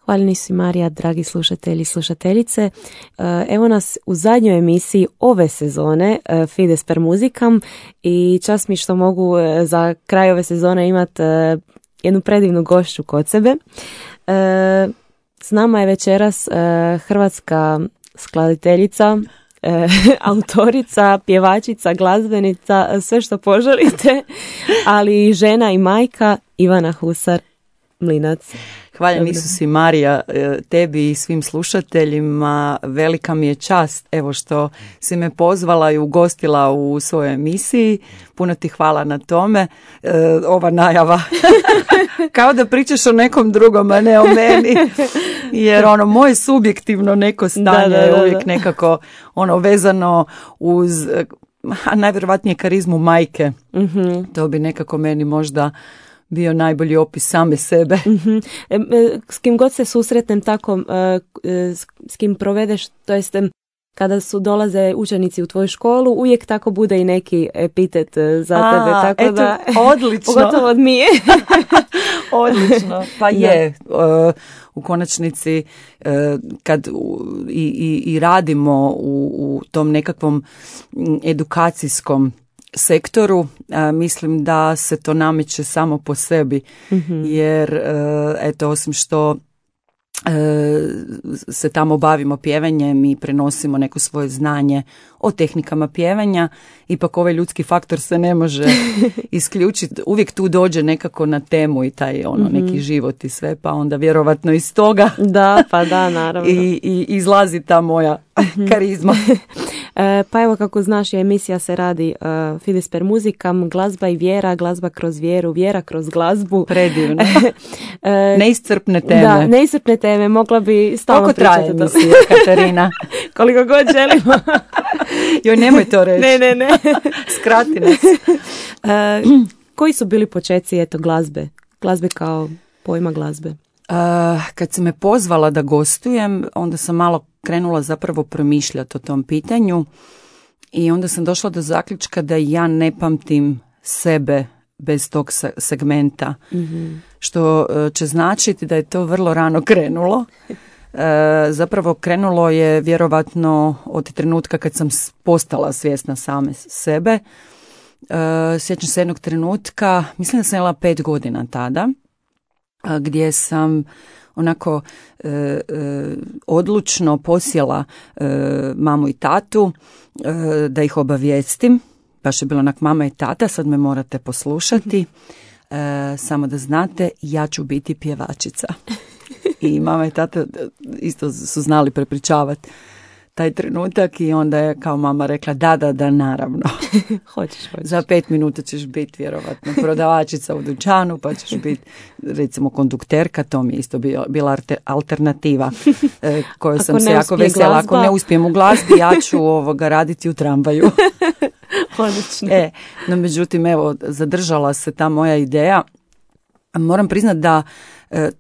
Hvaljeni si Marija, dragi slušatelji i slušateljice. Evo nas u zadnjoj emisiji ove sezone Fides per muzikam i čast mi što mogu za kraj ove sezone imati jednu predivnu gošću kod sebe. S nama je večeras hrvatska skladateljica, autorica, pjevačica, glazbenica, sve što poželite, ali i žena i majka Ivana Husar-Mlinac. Hvala Isus i Marija, tebi i svim slušateljima. Velika mi je čast evo što si me pozvala i ugostila u svojoj emisiji. Puno ti hvala na tome. Ova najava kao da pričaš o nekom drugom, a ne o meni. Jer moje subjektivno neko stanje je uvijek nekako vezano uz najvjerojatnije karizmu majke. Mm-hmm. To bi nekako meni možda bio najbolji opis same sebe. Mm-hmm. S kim god se susretnem tako, s kim provedeš, to jest kada dolaze učenici u tvoju školu, uvijek tako bude i neki epitet za tebe. Tako eto, da, odlično. Pogotovo od Mije. Odlično. Pa je. U konačnici kad i radimo u tom nekakvom edukacijskom sektoru, mislim da se to nameće samo po sebi, mm-hmm. jer osim što se tamo bavimo pjevanjem i prenosimo neko svoje znanje o tehnikama pjevanja, ipak ovaj ljudski faktor se ne može isključiti. Uvijek tu dođe nekako na temu i taj mm-hmm. neki život i sve, pa onda vjerovatno iz toga naravno. I izlazi ta moja karizma. Pa evo, kako znaš, emisija se radi Fides per muzikam, glazba i vjera, glazba kroz vjeru, vjera kroz glazbu. Predivno. Neiscrpne teme. Da, neiscrpne teme, mogla bi stalno pričati. Koliko traje emisija, Katarina? Koliko god želimo. Joj, nemoj to reći. Ne. Skrati nas. Koji su bili počeci glazbe? Glazbe kao pojma glazbe. Kad si me pozvala da gostujem, onda sam malo krenula zapravo promišljati o tom pitanju i onda sam došla do zaključka da ja ne pamtim sebe bez tog segmenta, mm-hmm. što će značiti da je to vrlo rano krenulo. Zapravo krenulo je vjerovatno od trenutka kad sam postala svjesna same sebe. Sjećam se jednog trenutka, mislim da sam imala 5 godina tada, gdje sam onako odlučno posjela mamu i tatu da ih obavijestim. Baš je bilo onak, mama i tata, sad me morate poslušati. Samo da znate, ja ću biti pjevačica. I mama i tata isto su znali prepričavati taj trenutak i onda je kao mama rekla da, naravno. Hoćeš. Za 5 minuta ćeš biti vjerovatno prodavačica u dućanu, pa ćeš biti recimo kondukterka, to mi je isto bila alternativa koju sam se jako vesela. Ako ne uspijem u glazbi, ja ću raditi u tramvaju. Odlično. No međutim, evo, zadržala se ta moja ideja. Moram priznati da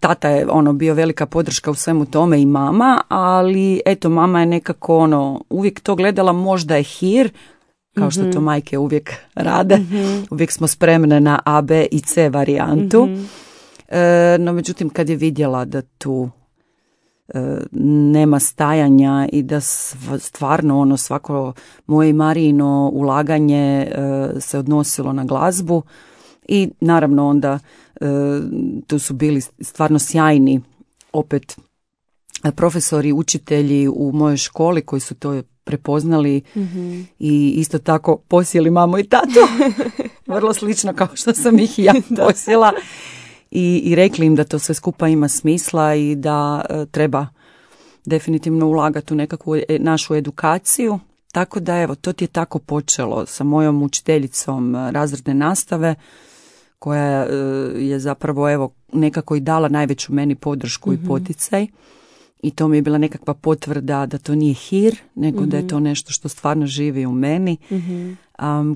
tata je bio velika podrška u svemu tome i mama, ali eto, mama je nekako uvijek to gledala, možda je hir, kao što to majke uvijek rade. Mm-hmm. Uvijek smo spremne na A, B i C varijantu. Mm-hmm. No međutim, kad je vidjela da tu nema stajanja i da stvarno svako moje i Marijino ulaganje se odnosilo na glazbu i naravno onda tu su bili stvarno sjajni opet profesori, učitelji u mojoj školi koji su to prepoznali, mm-hmm. i isto tako posjeli mamu i tatu. Vrlo slično kao što sam ih i ja posjela. I rekli im da to sve skupa ima smisla i da treba definitivno ulagati u nekakvu našu edukaciju. Tako da evo, to ti je tako počelo sa mojom učiteljicom razredne nastave, koja je zapravo evo nekako i dala najveću meni podršku, mm-hmm. i poticaj. I to mi je bila nekakva potvrda da to nije hir, nego mm-hmm. da je to nešto što stvarno živi u meni. Mm-hmm.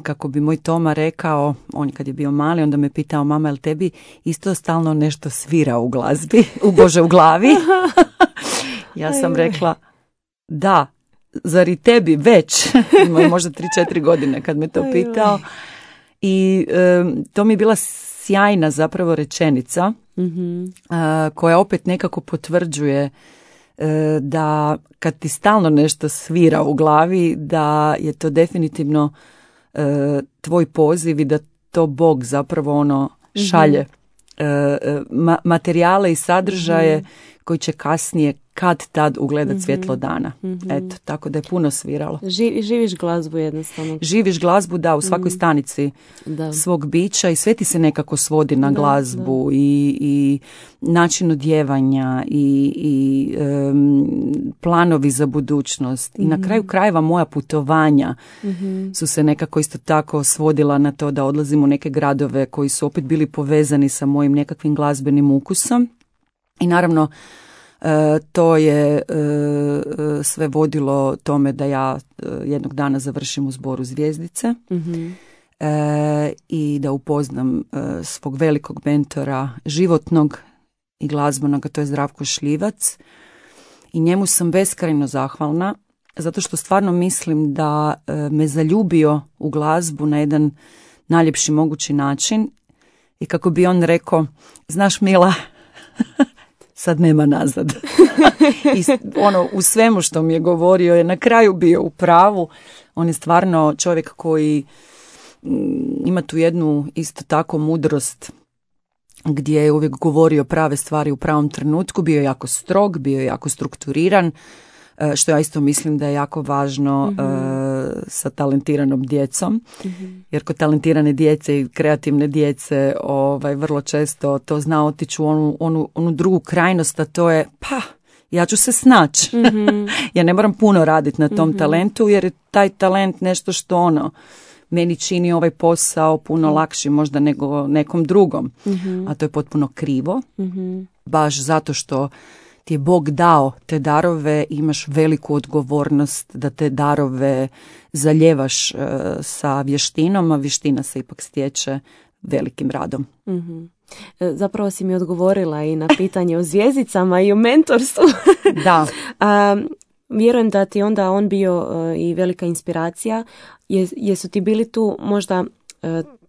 Kako bi moj Toma rekao, on kad je bio mali, onda me pitao, mama, jel tebi isto stalno nešto svira u glazbi, u glavi? Ja sam rekla, da, zar i tebi već? Imao je možda 3-4 godine kad me to pitao. I to mi je bila sjajna zapravo rečenica koja opet nekako potvrđuje da kad ti stalno nešto svira u glavi, da je to definitivno tvoj poziv i da to Bog zapravo šalje materijale i sadržaje koji će kasnije kad tad ugledat svjetlo dana. Eto, tako da je puno sviralo. Živiš glazbu jednostavno. Živiš glazbu, da, u svakoj stanici svog bića i sve ti se nekako svodi na glazbu i način odjevanja i planovi za budućnost. I na kraju krajeva moja putovanja su se nekako isto tako svodila na to da odlazim u neke gradove koji su opet bili povezani sa mojim nekakvim glazbenim ukusom. I naravno, to je sve vodilo tome da ja jednog dana završim u Zboru Zvjezdice i da upoznam svog velikog mentora životnog i glazbenog, a to je Zdravko Šljivac. I njemu sam beskrajno zahvalna, zato što stvarno mislim da me zaljubio u glazbu na jedan najljepši mogući način. I kako bi on rekao, znaš Mila, sad nema nazad. I u svemu što mi je govorio je na kraju bio u pravu. On je stvarno čovjek koji ima tu jednu isto tako mudrost gdje je uvijek govorio prave stvari u pravom trenutku. Bio je jako strog, bio je jako strukturiran, što ja isto mislim da je jako važno sa talentiranom djecom. Jer kod talentirane djece i kreativne djece vrlo često to zna otići u onu drugu krajnost, a to je ja ću se snaći. Ja ne moram puno raditi na tom talentu, jer je taj talent nešto što meni čini ovaj posao puno lakši možda nego nekom drugom. A to je potpuno krivo. Baš zato što ti je Bog dao te darove, imaš veliku odgovornost da te darove zaljevaš sa vještinom, a vještina se ipak stječe velikim radom. Zapravo si mi odgovorila i na pitanje o zvijezdicama i o mentorstvu. Da. Vjerujem da ti onda on bio i velika inspiracija. Jesu ti bili tu možda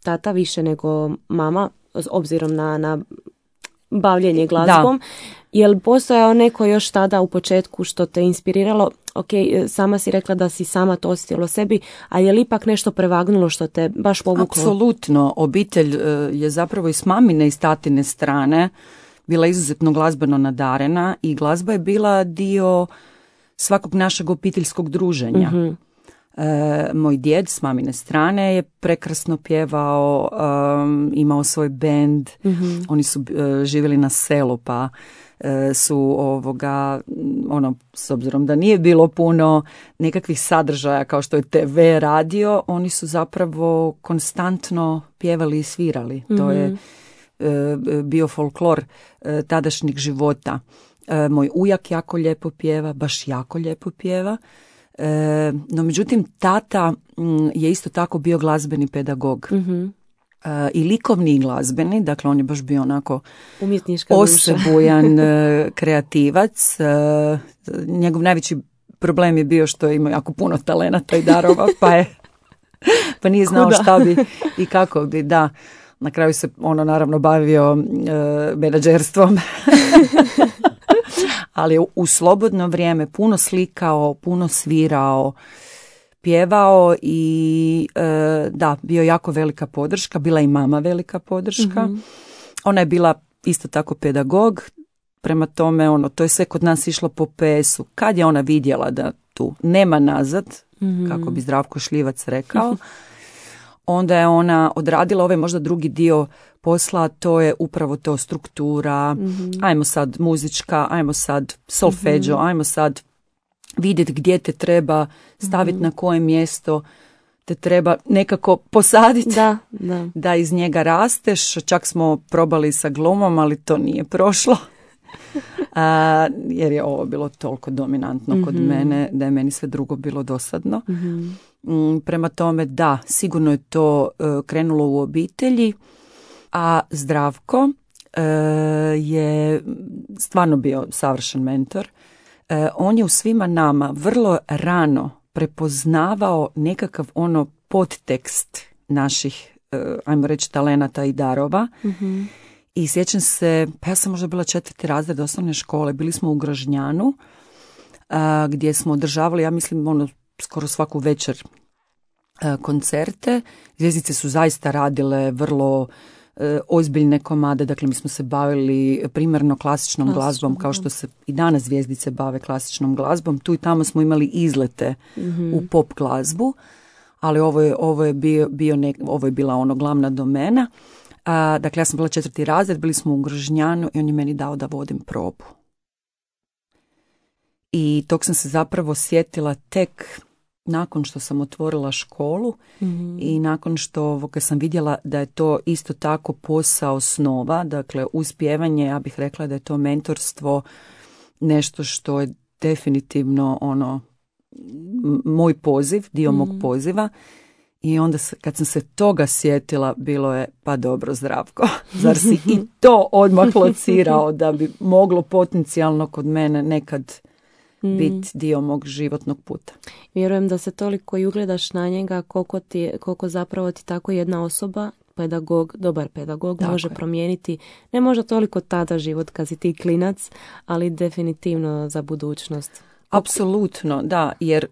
tata više nego mama, s obzirom na bavljenje glazbom? Da. Jel postojao neko još tada u početku što te inspiriralo? Ok, sama si rekla da si sama to osjetila sebi, a je li ipak nešto prevagnulo što te baš povuklo? Apsolutno. Obitelj je zapravo i s mamine i s tatine strane bila izuzetno glazbeno nadarena i glazba je bila dio svakog našeg obiteljskog druženja. Moj djed s mamine strane je prekrasno pjevao, imao svoj bend, oni su živjeli na selu pa su s obzirom da nije bilo puno nekakvih sadržaja kao što je TV, radio, oni su zapravo konstantno pjevali i svirali. To je bio folklor tadašnjeg života. Moj ujak jako lijepo pjeva, baš jako lijepo pjeva. No međutim, tata je isto tako bio glazbeni pedagog. I likovni i glazbeni, dakle on je baš bio onako osebujan kreativac. Njegov najveći problem je bio što je imao jako puno talenata i darova, pa nije znao šta bi i kako bi, da. Na kraju se naravno bavio menadžerstvom. Ali je u slobodno vrijeme puno slikao, puno svirao, pjevao i bio jako velika podrška. Bila i mama velika podrška. Ona je bila isto tako pedagog. Prema tome, to je sve kod nas išlo po PS-u. Kad je ona vidjela da tu nema nazad, kako bi Zdravko Šljivac rekao, onda je ona odradila ovaj možda drugi dio posla, to je upravo to struktura, ajmo sad muzička, ajmo sad solfeđo, ajmo sad vidjeti gdje te treba staviti na koje mjesto te treba nekako posaditi da iz njega rasteš. Čak smo probali sa glumom, ali to nije prošlo. Jer je ovo bilo toliko dominantno kod mene da je meni sve drugo bilo dosadno. Prema tome, da, sigurno je to krenulo u obitelji, a Zdravko je stvarno bio savršen mentor. On je u svima nama vrlo rano prepoznavao nekakav podtekst naših ajmo reći, talenata i darova. I sjećam se, pa ja sam možda bila 4. razred osnovne škole, bili smo u Grožnjanu, gdje smo održavali, ja mislim, skoro svaku večer koncerte. Zvjezdice su zaista radile vrlo ozbiljne komade, dakle mi smo se bavili primarno klasičnom glazbom, kao što se i danas Zvjezdice bave klasičnom glazbom. Tu i tamo smo imali izlete u pop glazbu, ali ovo je bila glavna domena. Dakle, ja sam bila 4. razred, bili smo u Grožnjanu i on je meni dao da vodim probu. I tog sam se zapravo sjetila tek nakon što sam otvorila školu i nakon što sam vidjela da je to isto tako posao snova, dakle uz pjevanje, ja bih rekla da je to mentorstvo nešto što je definitivno moj poziv, dio mog poziva. I onda kad sam se toga sjetila, bilo je, pa dobro Zdravko, zar si i to odmah locirao da bi moglo potencijalno kod mene nekad biti dio mog životnog puta. Vjerujem da se toliko i ugledaš na njega koliko zapravo ti tako jedna osoba, dobar pedagog tako može promijeniti, ne možda toliko tada život kad si ti klinac, ali definitivno za budućnost. Apsolutno, da, jer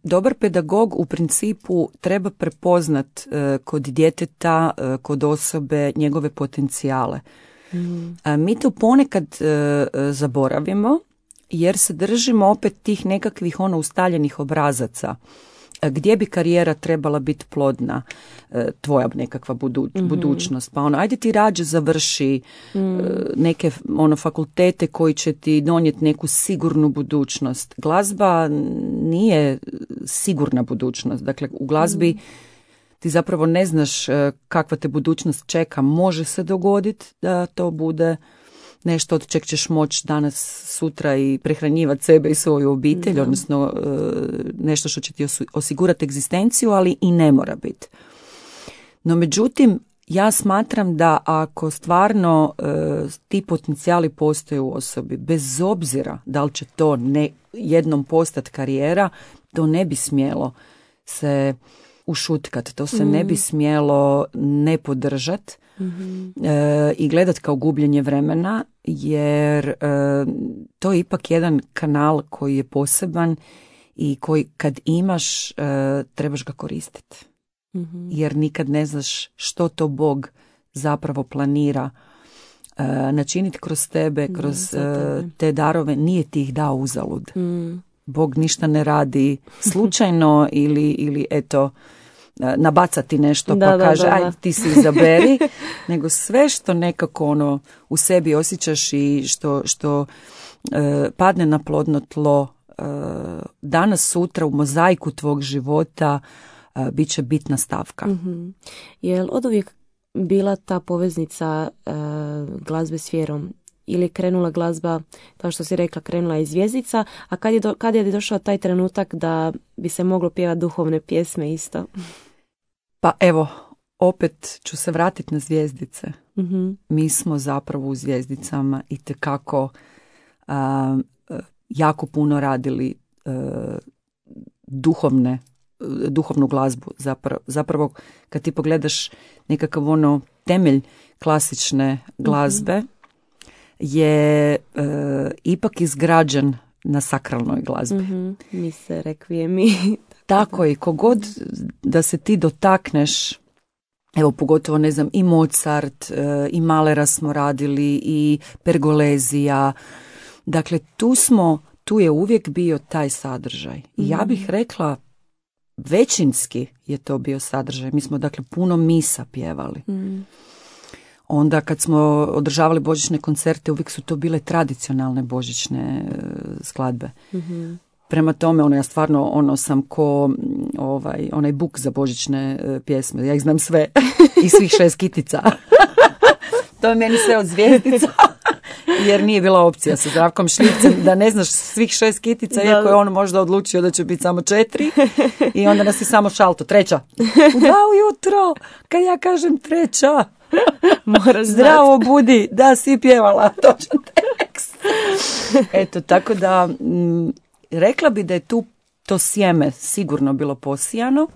dobar pedagog u principu treba prepoznat kod djeteta, kod osobe njegove potencijale. Mi to ponekad zaboravimo jer se držimo opet tih nekakvih ustaljenih obrazaca. Gdje bi karijera trebala biti plodna, tvoja nekakva budućnost. Pa ajde ti rađe završi neke fakultete koji će ti donijeti neku sigurnu budućnost. Glazba nije sigurna budućnost. Dakle, u glazbi ti zapravo ne znaš kakva te budućnost čeka. Može se dogoditi da to bude nešto od čeg ćeš moći danas, sutra i prehranjivati sebe i svoju obitelj, odnosno nešto što će ti osigurati egzistenciju, ali i ne mora biti. No međutim, ja smatram da ako stvarno ti potencijali postoje u osobi, bez obzira da li će to jednom postati karijera, to ne bi smjelo se ušutkat, to se ne bi smjelo ne podržati i gledat kao gubljenje vremena, jer to je ipak jedan kanal koji je poseban i koji kad imaš trebaš ga koristiti. Jer nikad ne znaš što to Bog zapravo planira načiniti kroz tebe, kroz te darove. Nije ti ih dao uzalud. Bog ništa ne radi slučajno ili eto nabacati nešto pa kaže aj ti si izaberi, nego sve što nekako u sebi osjećaš i što padne na plodno tlo danas sutra u mozaiku tvog života bit će bitna stavka. Je li oduvijek bila ta poveznica glazbe s vjerom? Ili je krenula glazba, kao što si rekla, krenula iz Zvjezdica, a kad je došao taj trenutak da bi se moglo pjevati duhovne pjesme isto? Pa evo, opet ću se vratiti na Zvjezdice. Mi smo zapravo u Zvjezdicama itekako jako puno radili duhovnu glazbu. Zapravo kad ti pogledaš nekakav temelj klasične glazbe, je ipak izgrađen na sakralnoj glazbi. Mise, rekvijemi. Tako je, kogod da se ti dotakneš, evo pogotovo ne znam, i Mozart, i Mahlera smo radili, i Pergolezija. Dakle, tu je uvijek bio taj sadržaj. I ja bih rekla, većinski je to bio sadržaj. Mi smo dakle puno misa pjevali. Onda kad smo održavali božićne koncerte, uvijek su to bile tradicionalne božićne skladbe. Prema tome, ja stvarno sam ko onaj buk za božićne pjesme. Ja ih znam sve i svih 6 kitica. To je meni sve od Zvjezdica. Jer nije bila opcija sa Zdravkom Šljivcem da ne znaš svih 6 kitica, iako je on možda odlučio da će biti samo 4. I onda nas je samo šalto. 3. U 2 ujutro, kad ja kažem 3. Moraš zdravo budi, da si pjevala točan tekst. Eto, tako da rekla bi da je tu to sjeme sigurno bilo posijano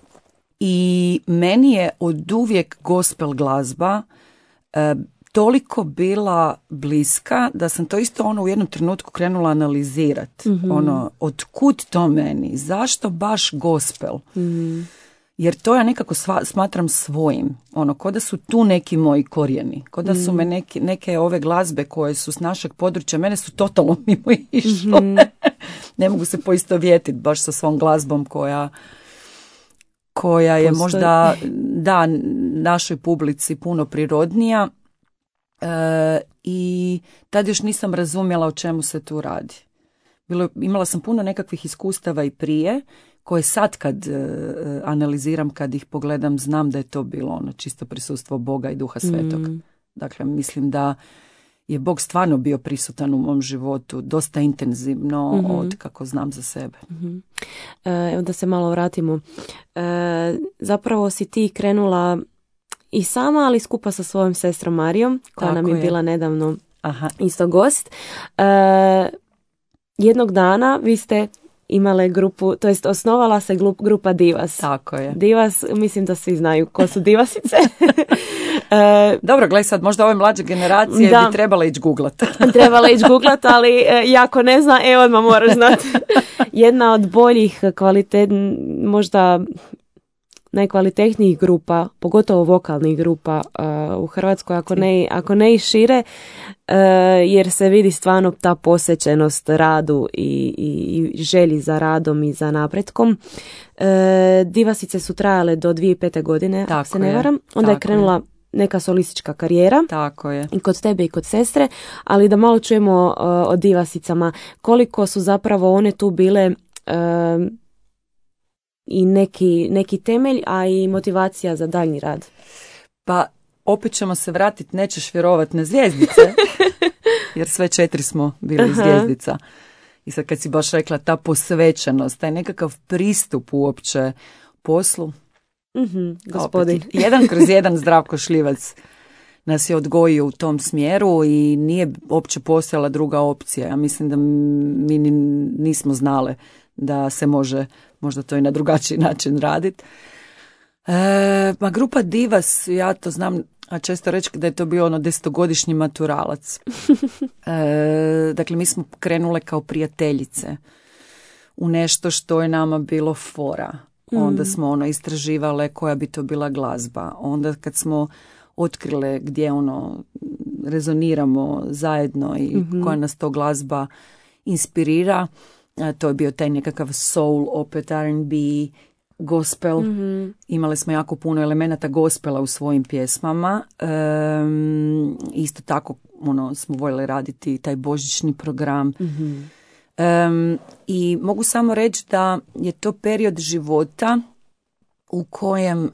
I meni je oduvijek gospel glazba toliko bila bliska da sam to isto u jednom trenutku krenula analizirati. Od kud to meni? Zašto baš gospel? Jer to ja nekako smatram svojim. Ko da su tu neki moji korijeni. Ko da su me neke ove glazbe koje su s našeg područja, mene su totalno mimo išle. Ne mogu se poistovjetiti baš sa svom glazbom koja je možda našoj publici puno prirodnija. I tad još nisam razumjela o čemu se tu radi. Imala sam puno nekakvih iskustava i prije, koje sad kad analiziram, kad ih pogledam, znam da je to bilo čisto prisustvo Boga i Duha Svetog. Dakle, mislim da je Bog stvarno bio prisutan u mom životu dosta intenzivno od kako znam za sebe. Evo da se malo vratimo. Zapravo si ti krenula i sama, ali skupa sa svojom sestrom Marijom, koja nam je bila nedavno isto gost. Jednog dana vi ste imale grupu, to jest osnovala se grupa Divas. Tako je. Divas, mislim da svi znaju ko su Divasice. Dobro, gledaj sad, možda ove mlađe generacije bi trebala ići googlat. Trebala ići googlat, ali jako ne zna, odmah moraš znati. Jedna od boljih možda najkvalitetnijih grupa, pogotovo vokalnih grupa u Hrvatskoj, ako ne i šire, jer se vidi stvarno ta posvećenost radu i želji za radom i za napretkom. Divasice su trajale do 2005. godine, ako se ne varam. Onda je krenula neka solistička karijera. Tako je. I kod tebe i kod sestre, ali da malo čujemo o Divasicama, koliko su zapravo one tu bile i neki temelj, a i motivacija za daljnji rad. Pa opet ćemo se vratiti, nećeš vjerovat, na Zvijezdice, jer sve 4 smo bili Zvijezdica. I sad kad si baš rekla ta posvećenost, taj nekakav pristup uopće poslu. Gospodin. Opet, 1/1 Zdravko Šljivac nas je odgojio u tom smjeru i nije uopće postojala druga opcija. Ja mislim da mi nismo znale da se može možda to i na drugačiji način raditi. Ma grupa Divas, ja to znam, a često reći da je to bio 10-godišnji maturalac. Dakle, mi smo krenule kao prijateljice u nešto što je nama bilo fora. Onda smo istraživale koja bi to bila glazba. Onda kad smo otkrile gdje rezoniramo zajedno i koja nas to glazba inspirira, to je bio taj nekakav soul, opet R&B, gospel. Imali smo jako puno elemenata gospela u svojim pjesmama. Isto tako smo voljeli raditi taj božićni program. I mogu samo reći da je to period života u kojem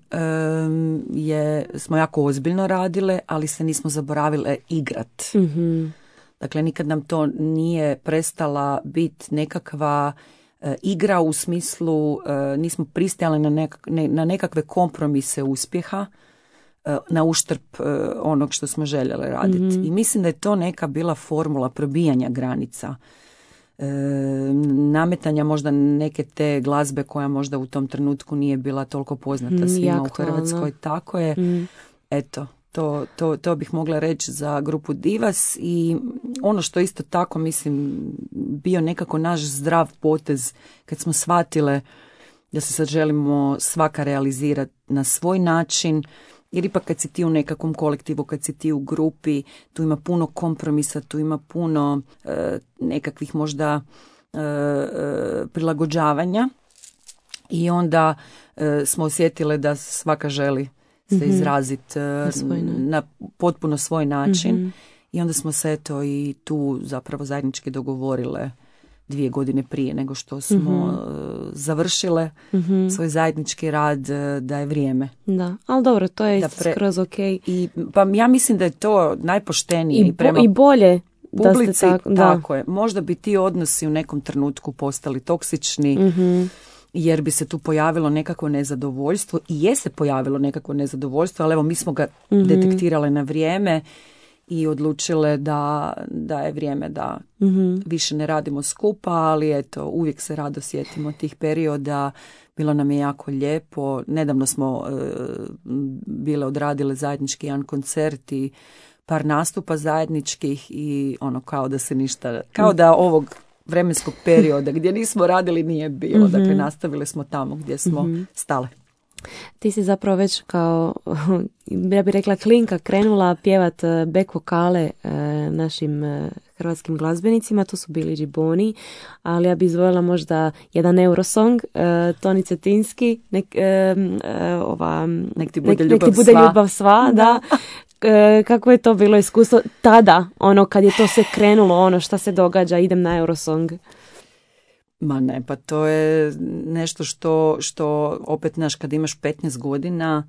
smo jako ozbiljno radile, ali se nismo zaboravile igrat. Dakle, nikad nam to nije prestala biti nekakva igra u smislu, nismo pristajali na nekakve kompromise uspjeha, na uštrb onog što smo željeli raditi. I mislim da je to neka bila formula probijanja granica. Nametanja možda neke te glazbe koja možda u tom trenutku nije bila toliko poznata svima u Hrvatskoj. Tako je. Eto, to bih mogla reći za grupu Divas. I ono što isto tako mislim bio nekako naš zdrav potez kad smo shvatile da se sad želimo svaka realizirati na svoj način, jer ipak kad si ti u nekakvom kolektivu, kad si ti u grupi, tu ima puno kompromisa, tu ima puno nekakvih možda prilagođavanja i onda smo osjetile da svaka želi se izraziti na potpuno svoj način i onda smo se eto i tu zapravo zajednički dogovorile 2 godine prije nego što smo završile svoj zajednički rad da je vrijeme. Da, ali dobro, to je skroz ok. I, pa ja mislim da je to najpoštenije i prema i bolje publici, da ste tako, tako je. Možda bi ti odnosi u nekom trenutku postali toksični, jer bi se tu pojavilo nekako nezadovoljstvo i je se pojavilo nekako nezadovoljstvo, ali evo mi smo ga detektirale na vrijeme i odlučile da je vrijeme da više ne radimo skupa, ali eto, uvijek se rado sjetimo tih perioda. bilo nam je jako lijepo. Nedavno smo bile odradile zajednički jedan koncert i par nastupa zajedničkih i ono kao da se ništa, kao da ovog vremenskog perioda gdje nismo radili nije bilo. Dakle, nastavili smo tamo gdje smo stale. Ti si zapravo već kao, ja bih rekla, klinka krenula pjevat back vokale našim hrvatskim glazbenicima, to su bili Džiboni, ali ja bih izvojila možda jedan Eurosong, Toni Cetinski, nek ti bude ljubav sva, da. Kako je to bilo iskustvo tada, ono kad je to sve krenulo, ono šta se događa, idem na Eurosong? Ma ne, pa to je nešto što opet, znaš, kad imaš 15 godina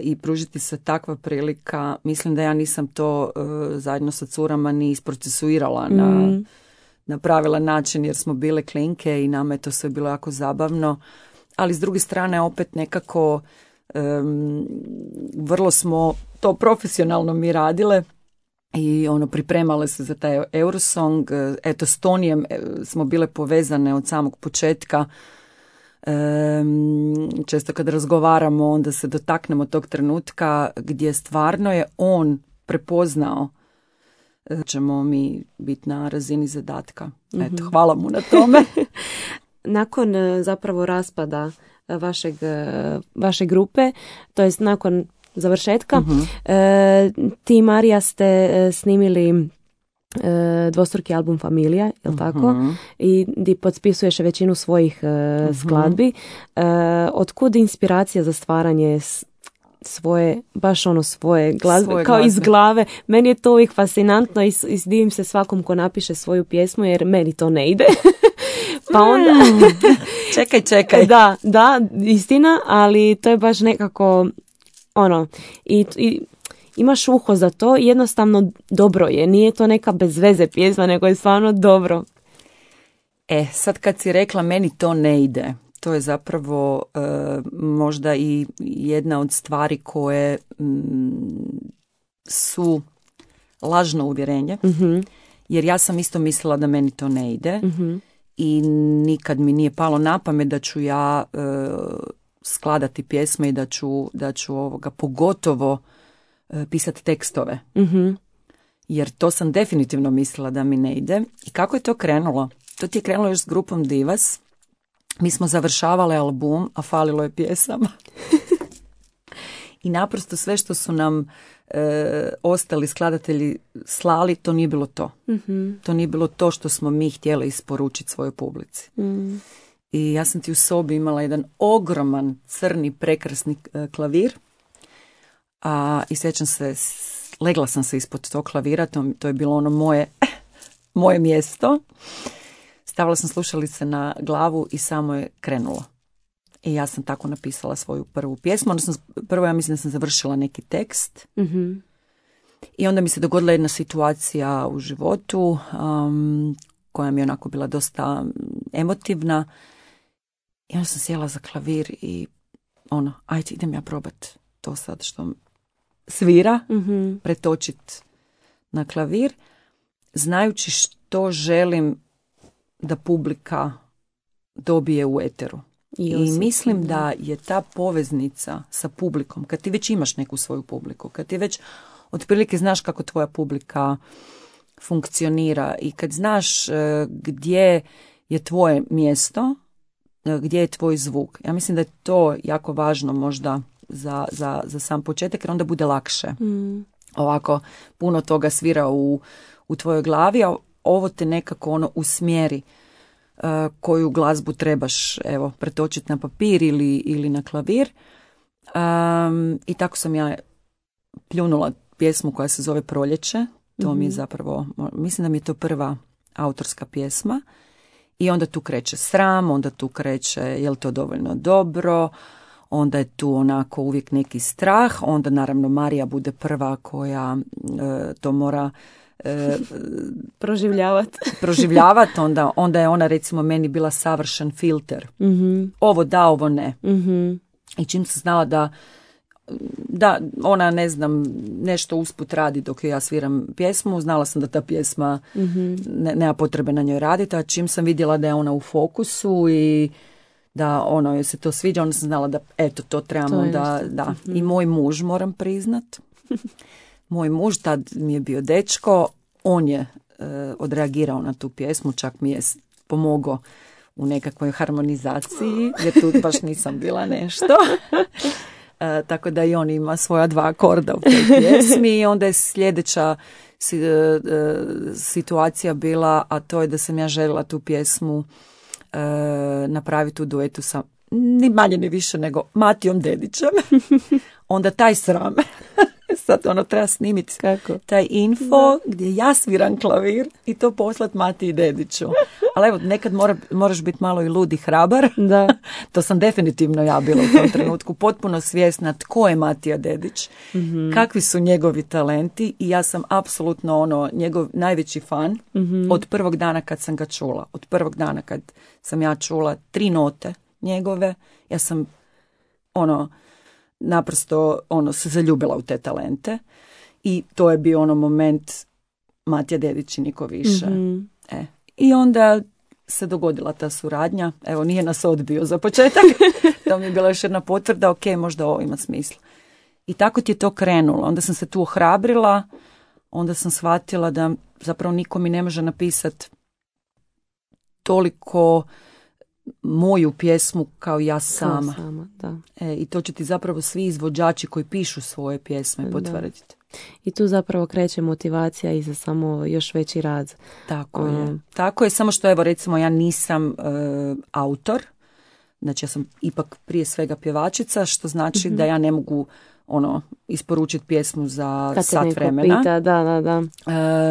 i pružiti se takva prilika, mislim da ja nisam to zajedno sa curama ni isprocesuirala na pravilan način, jer smo bile klinke i nama je to sve bilo jako zabavno, ali s druge strane opet nekako vrlo smo to profesionalno mi radile i pripremale se za taj Eurosong. Eto, s Tonijem smo bile povezane od samog početka. Često kad razgovaramo onda se dotaknemo tog trenutka gdje stvarno je on prepoznao ćemo mi biti na razini zadatka. Eto, hvala mu na tome. Nakon zapravo raspada vaše grupe, to jest nakon završetka, ti i Marija ste snimili dvostruki album Familija, jel tako? I di potpisuješ većinu svojih skladbi. Otkud inspiracija za stvaranje svoje, baš svoje glazbe, kao iz glave? Meni je to uvijek fascinantno i divim se svakom ko napiše svoju pjesmu, jer meni to ne ide. Pa onda... Čekaj. Da, istina, ali to je baš nekako i imaš uho za to, jednostavno dobro je, nije to neka bezveze pjesma, nego je stvarno dobro. Sad kad si rekla meni to ne ide, to je zapravo možda i jedna od stvari koje su lažno uvjerenje, jer ja sam isto mislila da meni to ne ide i nikad mi nije palo na pamet da ću ja skladati pjesme i da ću pogotovo pisati tekstove. Jer to sam definitivno mislila da mi ne ide. I kako je to krenulo? To ti je krenulo još s grupom Divas. Mi smo završavale album, a falilo je pjesama. I naprosto sve što su nam ostali skladatelji slali, to nije bilo to. To nije bilo to što smo mi htjeli isporučiti svojoj publici. I ja sam ti u sobi imala jedan ogroman crni prekrasni klavir. I sjećam se, legla sam se ispod tog klavira, to je bilo moje mjesto. Stavila sam slušalice na glavu i samo je krenulo. I ja sam tako napisala svoju prvu pjesmu. Odnosno, prvo ja mislim da sam završila neki tekst. I onda mi se dogodila jedna situacija u životu koja mi je onako bila dosta emotivna. I onda sam sjela za klavir i ajde idem ja probat to sad što svira, pretočit na klavir, znajući što želim da publika dobije u eteru. I mislim da je ta poveznica sa publikom, kad ti već imaš neku svoju publiku, kad ti već otprilike znaš kako tvoja publika funkcionira i kad znaš gdje je tvoje mjesto, gdje je tvoj zvuk. Ja mislim da je to jako važno možda za sam početak, jer onda bude lakše. Ovako, puno toga svira u tvojoj glavi, a ovo te nekako usmjeri koju glazbu trebaš pretočiti na papir ili na klavir. I tako sam ja pljunula pjesmu koja se zove Proljeće. To mi je zapravo, mislim da mi je to prva autorska pjesma. I onda tu kreće sram, onda tu kreće je li to dovoljno dobro, onda je tu onako uvijek neki strah, onda naravno Marija bude prva koja to mora proživljavati, onda je ona recimo meni bila savršen filter. Ovo da, ovo ne. I čim sam znala da ona, ne znam, nešto usput radi dok ja sviram pjesmu, znala sam da ta pjesma nema potrebe na njoj raditi, a čim sam vidjela da je ona u fokusu i da ono joj se to sviđa, onda sam znala da eto to trebamo da. I moj muž, moram priznat, moj muž, tad mi je bio dečko, on je odreagirao na tu pjesmu, čak mi je pomogao u nekakvoj harmonizaciji, jer tu baš nisam bila nešto. Tako da i on ima svoja 2 akorda u toj pjesmi i onda je sljedeća situacija bila, a to je da sam ja željela tu pjesmu napraviti u duetu sa ni manje ni više nego Matijom Dedićem. Onda taj sram. Sad ono treba snimiti taj info gdje ja sviram klavir i to poslat Matiji Dediću. Ali evo, nekad moraš biti malo i lud i hrabar. Da. To sam definitivno ja bila u tom trenutku. Potpuno svjesna tko je Matija Dedić, kakvi su njegovi talenti i ja sam apsolutno njegov najveći fan od prvog dana kad sam ga čula. Od prvog dana kad sam ja čula 3 note njegove, ja sam naprosto se zaljubila u te talente i to je bio moment Matija Dedić i niko više. I onda se dogodila ta suradnja, evo nije nas odbio za početak, to mi je bila još jedna potvrda, ok, možda ovo ima smisla. I tako ti je to krenulo, onda sam se tu ohrabrila, onda sam shvatila da zapravo niko mi ne može napisati toliko moju pjesmu kao ja sama. Da. I to će ti zapravo svi izvođači koji pišu svoje pjesme potvrditi. I tu zapravo kreće motivacija i za samo još veći rad. Tako je. Tako je, samo što evo recimo ja nisam autor, znači ja sam ipak prije svega pjevačica, što znači da ja ne mogu isporučiti pjesmu za sat vremena. Pita, da.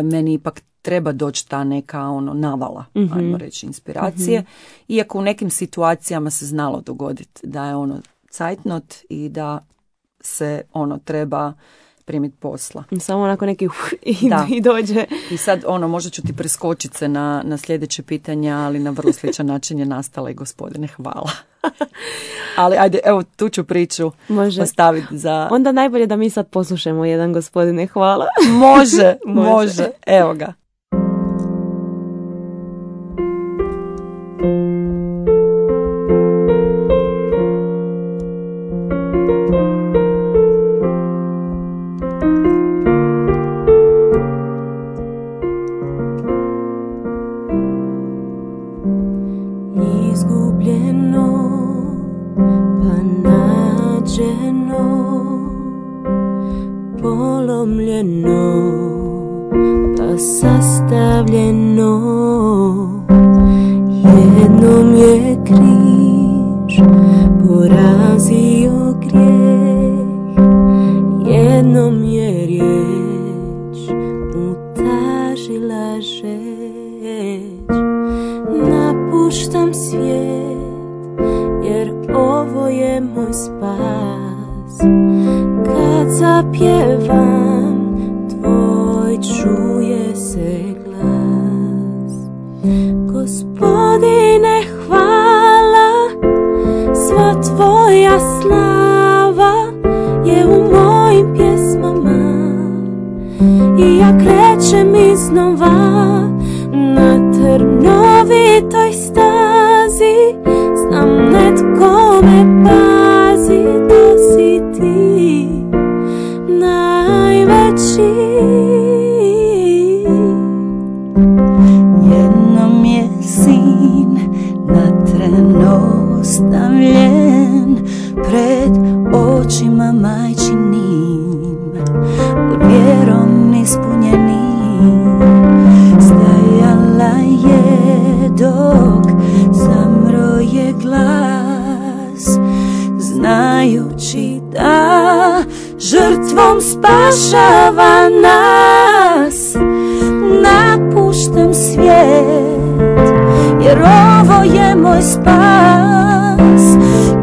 Meni ipak treba doći ta neka navala, ajmo reći, inspiracije. Iako u nekim situacijama se znalo dogoditi da je cajtnot i da se treba primiti posla. Samo onako neki i dođe. I sad možda ću ti preskočiti se na sljedeće pitanja, ali na vrlo sličan način je nastala i Gospodine hvala. Ali ajde, evo tu ću priču postaviti za... Onda najbolje da mi sad poslušamo jedan Gospodine hvala. Može. Evo ga. Izgubljeno, pa nađeno, polomljeno, pa sastavljeno. Jednom je križ porazio grijeh, jednom je riječ utažila žeć. Napuštam svijet, jer ovo je moj spas. Kad zapjevam, tvoj čuje se glas. Gospodine hvala, sva tvoja slava je u mojim pjesmama. I ja krećem iznova na trnovitoj stazi, znam netko me pazi, to si ti najveći. Jednom je sin na tren ostavljen pred očima majčinim, vjerom ispunjenim. Stajala je dok zamroje glas, znajući da žrtvom spašava nas. Napuštam svijet, jer ovo je moj spas.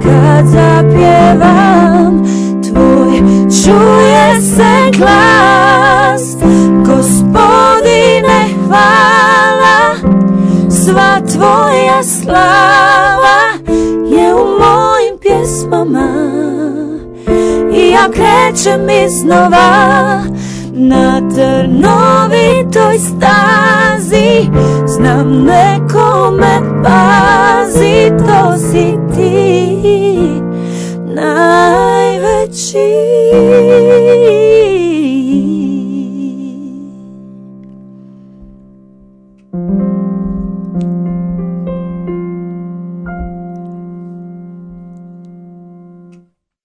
Kad zapjevam, tvoj čuje se glas. Gospodine hvala, sva tvoja slava je u mojim pjesmama. I ja krećem iznova na trnovitoj stazi, znam neko me pazi, to si ti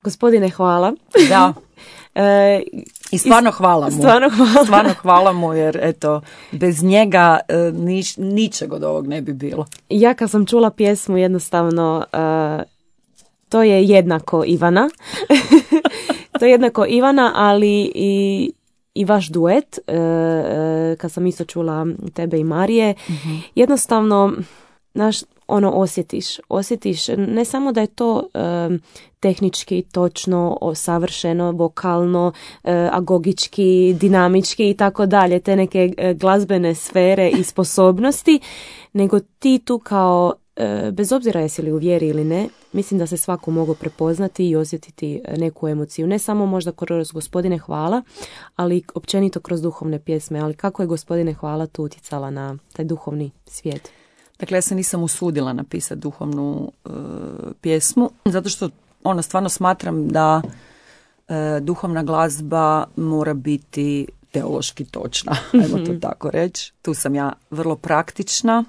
Gospodine, hvala. Da. I stvarno hvala mu. Stvarno hvala mu, jer eto, bez njega ničeg od ovog ne bi bilo. Ja kad sam čula pjesmu, jednostavno to je jednako Ivana. To je jednako Ivana, ali i vaš duet, kad sam isto čula tebe i Marije, jednostavno osjetiš ne samo da je to tehnički točno, savršeno, vokalno, agogički, dinamički i tako dalje, te neke glazbene sfere i sposobnosti, nego ti tu kao, bez obzira jesi li u vjeri ili ne, mislim da se svako mogu prepoznati i osjetiti neku emociju. Ne samo možda kroz Gospodine hvala, ali općenito kroz duhovne pjesme. Ali kako je Gospodine hvala tu utjecala na taj duhovni svijet? Dakle, ja se nisam usudila napisati duhovnu pjesmu, zato što stvarno smatram da duhovna glazba mora biti teološki točna, ajmo to tako reći. Tu sam ja vrlo praktična,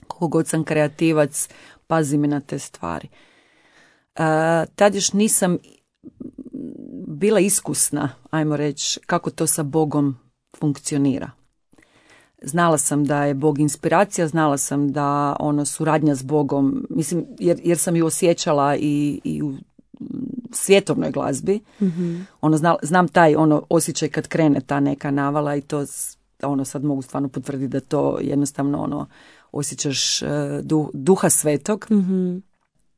koliko god sam kreativac, pazim i na te stvari. Tad još nisam bila iskusna, ajmo reći, kako to sa Bogom funkcionira. Znala sam da je Bog inspiracija, znala sam da suradnja s Bogom, mislim, jer sam ju osjećala i u svjetovnoj glazbi. Znam taj osjećaj kad krene ta neka navala i to sad mogu stvarno potvrditi da to jednostavno osjećaš duha svetog.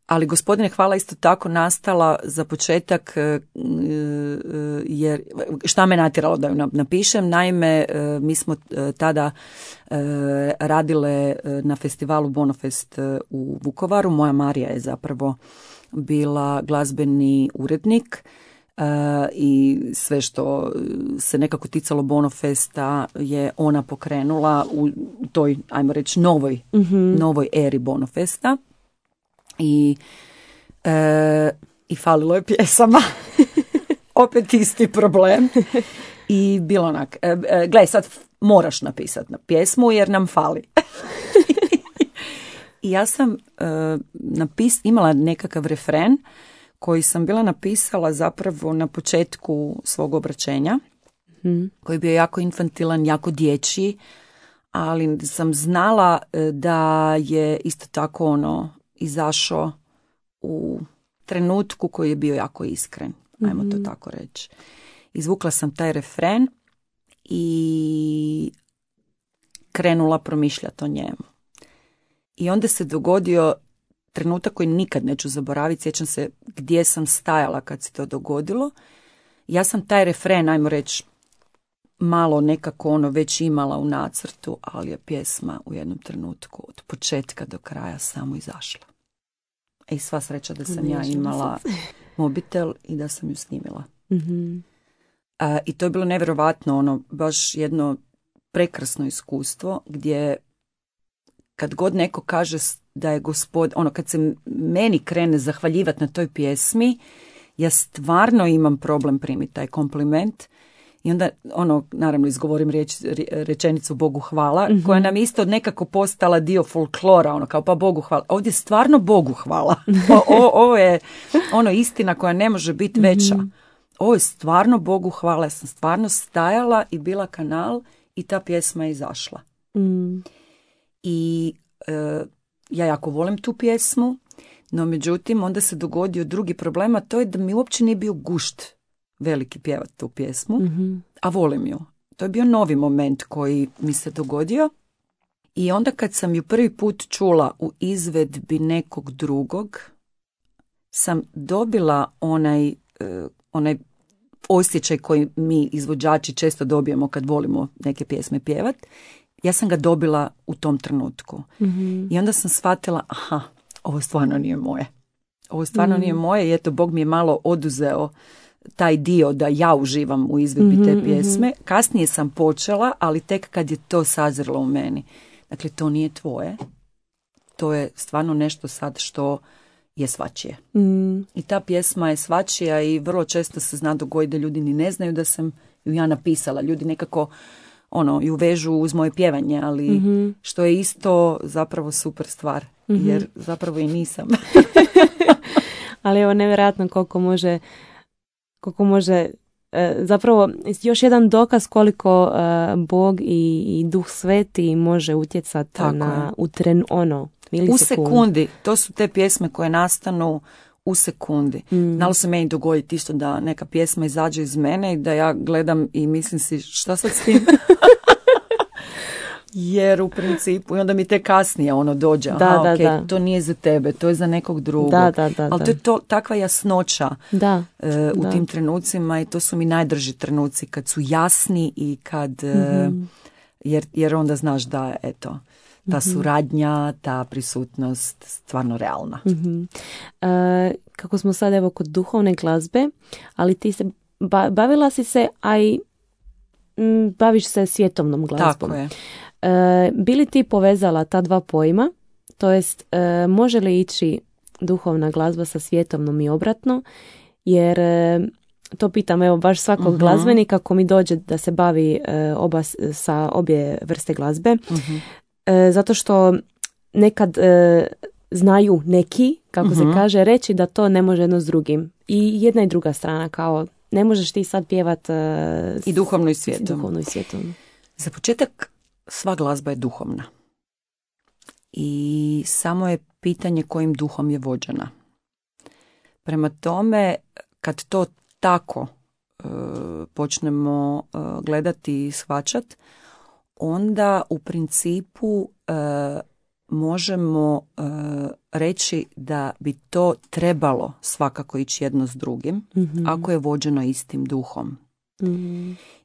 Ali Gospodine hvala isto tako nastala za početak, jer šta me natjeralo da ju napišem. Naime, mi smo tada radile na festivalu Bonofest u Vukovaru. Moja Marija je zapravo bila glazbeni urednik i sve što se nekako ticalo Bonofesta je ona pokrenula u toj, ajmo reći, novoj eri Bonofesta. I falilo je pjesama. Opet isti problem. I bilo onak, gle, sad moraš napisati na pjesmu jer nam fali. I ja sam imala nekakav refren koji sam bila napisala zapravo na početku svog obraćenja, koji je bio jako infantilan, jako dječji, ali sam znala da je isto tako izašao u trenutku koji je bio jako iskren, ajmo to tako reći. Izvukla sam taj refren i krenula promišljati o njemu. I onda se dogodio trenutak koji nikad neću zaboraviti, sjećam se gdje sam stajala kad se to dogodilo. Ja sam taj refren, ajmo reći, malo nekako već imala u nacrtu, ali je pjesma u jednom trenutku od početka do kraja samo izašla. I sva sreća da sam ja imala mobitel i da sam ju snimila. I to je bilo nevjerovatno, baš jedno prekrasno iskustvo gdje kad god neko kaže da je Gospod, kad se meni krene zahvaljivati na toj pjesmi, ja stvarno imam problem primiti taj kompliment. I onda, naravno, izgovorim rečenicu Bogu hvala, koja nam isto nekako postala dio folklora, kao pa Bogu hvala. Ovdje stvarno Bogu hvala. Ovo je istina koja ne može biti veća. Ovo je stvarno Bogu hvala. Ja sam stvarno stajala i bila kanal i ta pjesma je izašla. I ja jako volim tu pjesmu, no međutim onda se dogodio drugi problem, a to je da mi uopće nije bio gušt veliki pjevati tu pjesmu, a volim ju. To je bio novi moment koji mi se dogodio i onda kad sam ju prvi put čula u izvedbi nekog drugog, sam dobila onaj osjećaj koji mi izvođači često dobijemo kad volimo neke pjesme pjevat. Ja sam ga dobila u tom trenutku. I onda sam shvatila, ovo stvarno nije moje. Ovo stvarno nije moje i eto, Bog mi je malo oduzeo taj dio da ja uživam u izvedbi te pjesme. Kasnije sam počela, ali tek kad je to sazrelo u meni. Dakle, to nije tvoje. To je stvarno nešto sad što je svačije. I ta pjesma je svačija i vrlo često se zna dogoditi da ljudi ni ne znaju da sam ju ja napisala. Ljudi nekako ju vežu uz moje pjevanje, ali što je isto zapravo super stvar, jer zapravo i nisam. Ali evo nevjerojatno koliko može zapravo još jedan dokaz koliko Bog i Duh Sveti može utjecati na u sekundi. To su te pjesme koje nastanu u sekundi. Znalo se meni dogoditi isto da neka pjesma izađe iz mene i da ja gledam i mislim si šta sad s tim? Jer u principu, i onda mi te kasnije dođe, to nije za tebe, to je za nekog drugog. Ali to je takva jasnoća u tim trenucima i to su mi najdrži trenuci kad su jasni i kad, jer onda znaš da, eto, ta suradnja, ta prisutnost stvarno realna. Kako smo sad evo kod duhovne glazbe, ali ti se bavila si se, a i baviš se svjetovnom glazbom. Tako je. Bi li ti povezala ta dva pojma, to jest može li ići duhovna glazba sa svjetovnom i obratno, jer to pitam evo baš svakog glazbenika ko mi dođe da se bavi sa obje vrste glazbe, zato što nekad znaju neki, kako se kaže, reći da to ne može jedno s drugim. I jedna i druga strana, kao ne možeš ti sad pjevat i duhovno i svjetovno. Za početak, sva glazba je duhovna. I samo je pitanje kojim duhom je vođena. Prema tome, kad to tako počnemo gledati i shvaćati, onda u principu možemo reći da bi to trebalo svakako ići jedno s drugim, ako je vođeno istim duhom.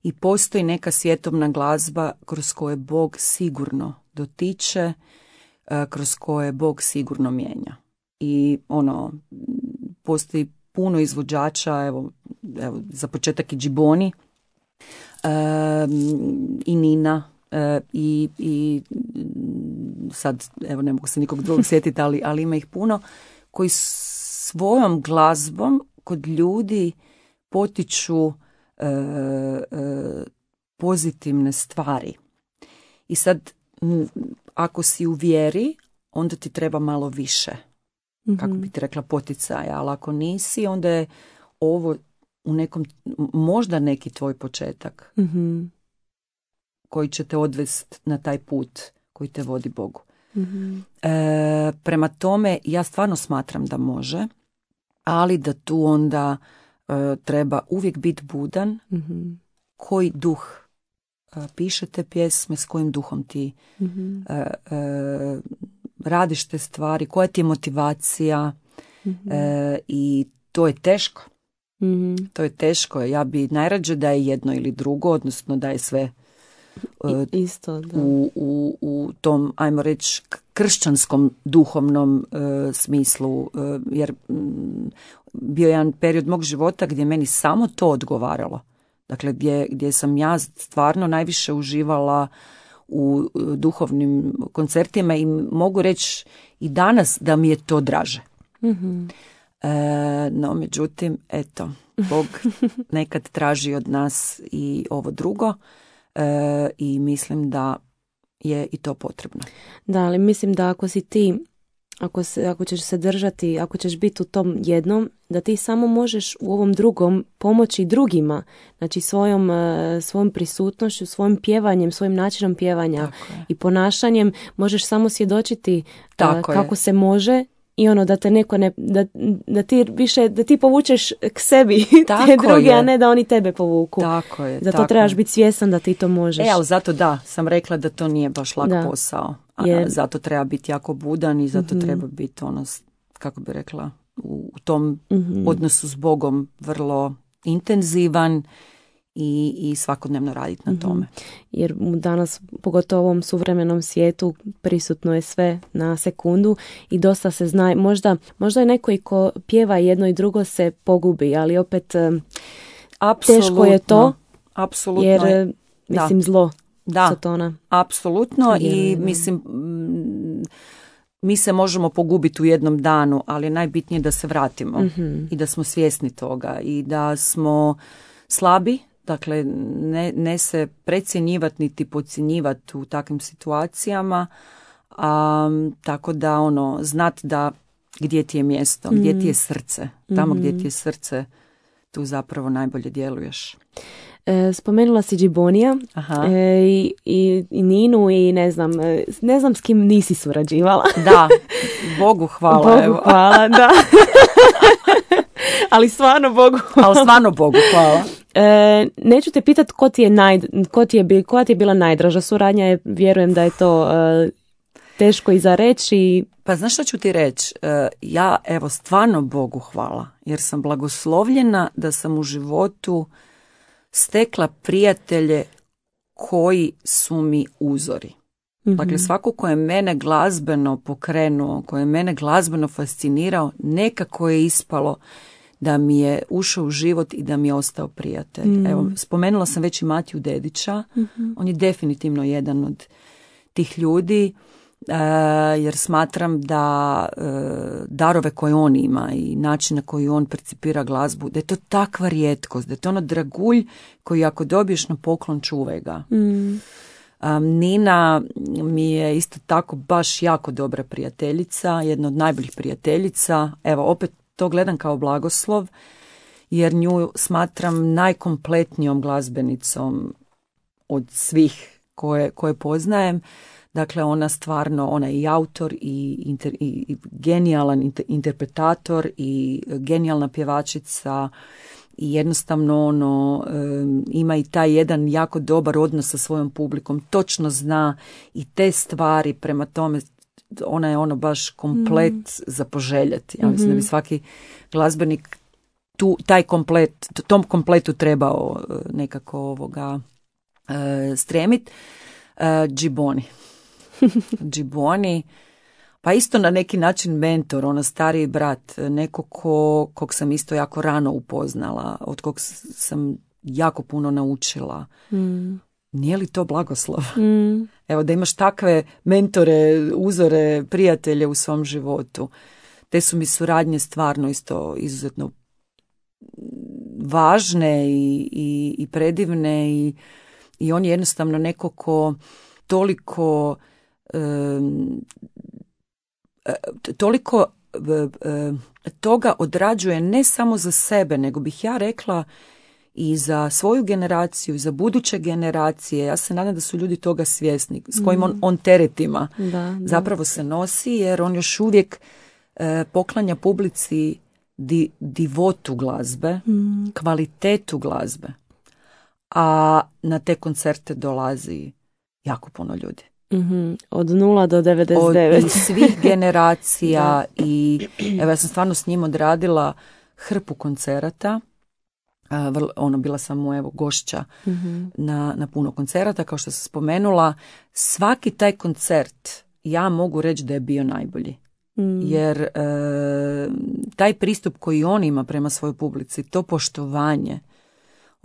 I postoji neka svjetovna glazba kroz koje Bog sigurno dotiče, kroz koje Bog sigurno mijenja. I postoji puno izvođača, evo za početak i Džiboni, i Nina, i sad evo ne mogu se nikog drugog sjetiti, ali ima ih puno, koji svojom glazbom kod ljudi potiču pozitivne stvari. I sad ako si u vjeri, onda ti treba malo više, kako bi ti rekla, poticaja, ali ako nisi, onda je ovo u nekom, možda neki tvoj početak koji će te odvesti na taj put koji te vodi Bogu. Prema tome, ja stvarno smatram da može, ali da tu onda treba uvijek biti budan, koji duh piše te pjesme, s kojim duhom ti radiš te stvari, koja ti je motivacija, i to je teško. To je teško. Ja bi najrađe da je jedno ili drugo, odnosno da je sve isto, da. U tom, ajmo reći, kršćanskom duhovnom smislu, jer bio je jedan period mog života gdje meni samo to odgovaralo. Dakle, gdje sam ja stvarno najviše uživala u duhovnim koncertima i mogu reći i danas da mi je to draže. No, međutim, eto, Bog nekad traži od nas i ovo drugo, i mislim da je i to potrebno. Da, ali mislim da ako si ti, ako ćeš se držati, ako ćeš biti u tom jednom, da ti samo možeš u ovom drugom pomoći drugima, znači svojom prisutnošću, svojim pjevanjem, svojim načinom pjevanja i ponašanjem možeš samo svjedočiti kako se može. I da te neko da ti više, da ti povučeš k sebi te druge, a ne da oni tebe povuku. Tako je. Zato trebaš biti svjestan da ti to možeš. Ali zato sam rekla da to nije baš lak posao. Zato treba biti jako budan i zato treba biti kako bi rekla, u tom odnosu s Bogom vrlo intenzivan i svakodnevno raditi na tome. Jer danas, pogotovo u ovom suvremenom svijetu, prisutno je sve na sekundu i dosta se zna. Možda je neko i ko pjeva jedno i drugo se pogubi, ali opet teško je to. Apsolutno. Jer, mislim, zlo Satana. Apsolutno. I mislim, mi se možemo pogubiti u jednom danu, ali je najbitnije da se vratimo i da smo svjesni toga i da smo slabi. Dakle, ne se precjenjivati niti podcjenjivati u takvim situacijama, tako da znat da gdje ti je mjesto, gdje ti je srce. Tamo gdje ti je srce, tu zapravo najbolje djeluješ. Spomenula si Džibonija i Ninu i ne znam s kim nisi surađivala. Da, Bogu hvala. Bogu hvala, da. Ali stvarno Bogu hvala. Neću te pitati koja ti je bila najdraža suradnja, vjerujem da je to teško i za reći. Pa znaš što ću ti reći? Ja, evo, stvarno Bogu hvala, jer sam blagoslovljena da sam u životu stekla prijatelje koji su mi uzori. Dakle, svako ko je mene glazbeno pokrenuo, ko je mene glazbeno fascinirao, nekako je ispalo da mi je ušao u život i da mi je ostao prijatelj. Evo, spomenula sam već i Matiju Dedića. On je definitivno jedan od tih ljudi, jer smatram da darove koje on ima i način na koji on percipira glazbu, da je to takva rijetkost, da je to ono dragulj koji ako dobiješ na poklon, čuvaj ga. Nina mi je isto tako baš jako dobra prijateljica, jedna od najboljih prijateljica. Evo, opet to gledam kao blagoslov, jer nju smatram najkompletnijom glazbenicom od svih koje poznajem. Dakle, ona je i autor i genijalan interpretator i genijalna pjevačica i jednostavno ima i taj jedan jako dobar odnos sa svojom publikom. Točno zna i te stvari, prema tome ona je baš komplet za poželjeti. Ja mislim da bi svaki glazbenik tom kompletu trebao nekako stremiti. Džiboni, pa isto na neki način mentor, stariji brat, neko kog sam isto jako rano upoznala, od kog sam jako puno naučila. Nije li to blagoslov? Evo, da imaš takve mentore, uzore, prijatelje u svom životu. Te su mi suradnje stvarno isto izuzetno važne i predivne i on je jednostavno neko ko toliko toga odrađuje ne samo za sebe, nego bih ja rekla i za svoju generaciju, za buduće generacije. Ja se nadam da su ljudi toga svjesni, s kojim on teretima zapravo se nosi, jer on još uvijek poklanja publici divotu glazbe, kvalitetu glazbe, a na te koncerte dolazi jako puno ljudi. Od 0 do 99. Od svih generacija i evo, ja sam stvarno s njim odradila hrpu koncerata. Bila sam mu gošća na puno koncerata, kao što sam spomenula. Svaki taj koncert ja mogu reći da je bio najbolji. Jer taj pristup koji on ima prema svojoj publici, to poštovanje,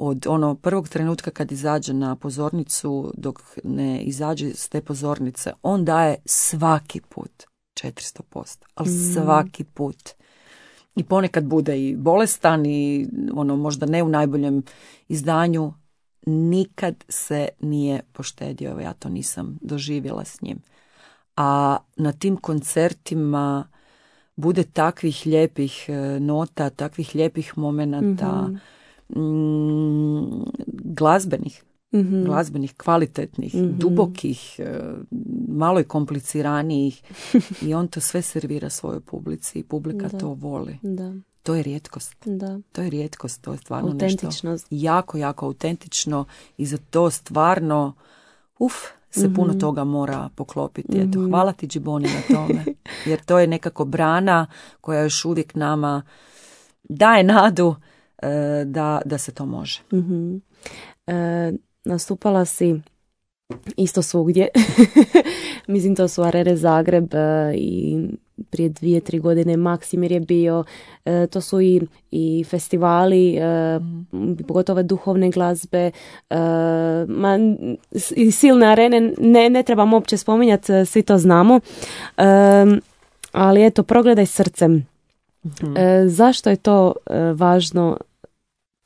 od prvog trenutka kad izađe na pozornicu dok ne izađe s te pozornice, on daje svaki put 400%, ali svaki put. I ponekad bude i bolestan i možda ne u najboljem izdanju, nikad se nije poštedio. Ja to nisam doživjela s njim. A na tim koncertima bude takvih lijepih nota, takvih lijepih momenata, glazbenih, kvalitetnih, dubokih, malo i kompliciranijih i on to sve servira svojoj publici i publika to voli. To je rijetkost. To je rijetkost, to je stvarno nešto jako, jako autentično i za to stvarno se puno toga mora poklopiti. Eto, hvala ti, Džiboni, na tome, jer to je nekako brana koja još uvijek nama daje nadu da se to može. Nastupala si isto svugdje. Mislim, to su Arere Zagreb i prije 2-3 godine Maksimir je bio. To su i festivali, pogotovo duhovne glazbe, i silne arene. Ne trebam uopće spominjati, svi to znamo. Ali eto, progledaj srcem. Zašto je to važno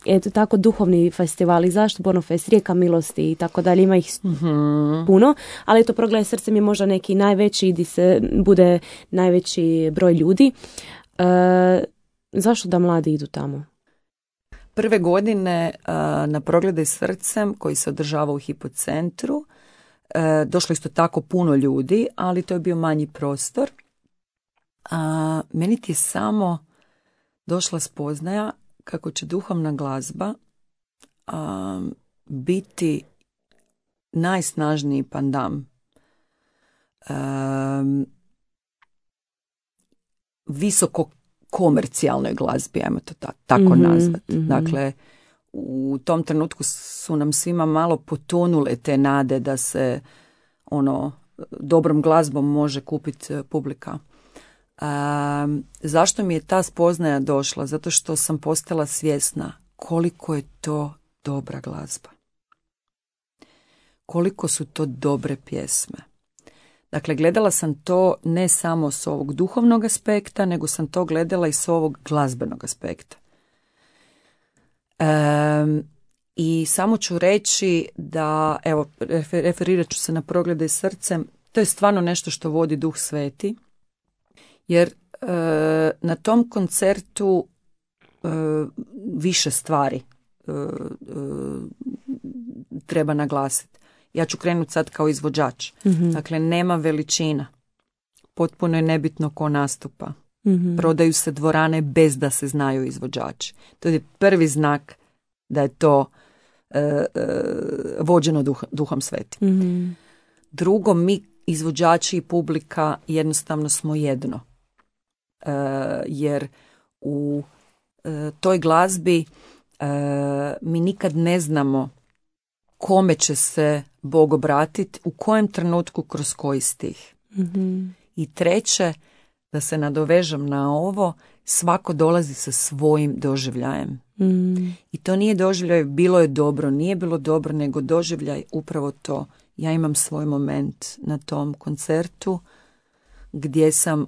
eto tako duhovni festivali, zašto Bornofest, Rijeka milosti i tako dalje, ima ih puno, ali eto Progledaj srcem je možda neki najveći gdje se bude najveći broj ljudi. Zašto da mladi idu tamo? Prve godine na Progledaj srcem koji se održava u Hipocentru došlo isto tako puno ljudi, ali to je bio manji prostor. Meni ti je samo došla spoznaja kako će duhovna glazba biti najsnažniji pandam visoko komercijalnoj glazbi, ajmo to tako nazvati. Dakle, u tom trenutku su nam svima malo potonule te nade da se dobrom glazbom može kupiti publika. Zašto mi je ta spoznaja došla? Zato što sam postala svjesna koliko je to dobra glazba. Koliko su to dobre pjesme. Dakle, gledala sam to ne samo s ovog duhovnog aspekta, nego sam to gledala i s ovog glazbenog aspekta. I samo ću reći da, evo, referirat ću se na Progledaj srcem, to je stvarno nešto što vodi Duh Sveti, jer na tom koncertu više stvari treba naglasiti. Ja ću krenuti sad kao izvođač. Dakle, nema veličina. Potpuno je nebitno ko nastupa. Prodaju se dvorane bez da se znaju izvođači. To je prvi znak da je to vođeno Duhom Svetim. Drugo, mi izvođači i publika jednostavno smo jedno. Jer u toj glazbi mi nikad ne znamo kome će se Bog obratiti, u kojem trenutku, kroz koji stih. I treće, da se nadovežem na ovo, svako dolazi sa svojim doživljajem. I to nije doživljaj bilo je dobro, nije bilo dobro, nego doživljaj upravo to. Ja imam svoj moment na tom koncertu gdje sam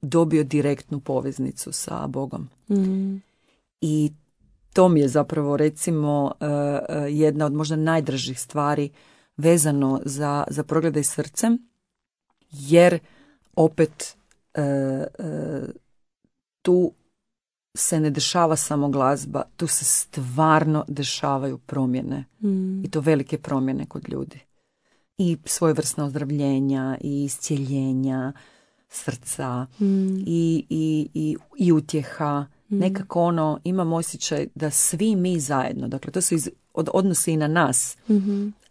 dobio direktnu poveznicu sa Bogom. I to mi je zapravo recimo jedna od možda najdražih stvari vezano za Progledaj srcem, jer opet tu se ne dešava samo glazba, tu se stvarno dešavaju promjene. I to velike promjene kod ljudi. I svojevrsna ozdravljenja, i iscijeljenja srca, i utjeha. Nekako imam osjećaj da svi mi zajedno, dakle to se odnosi i na nas.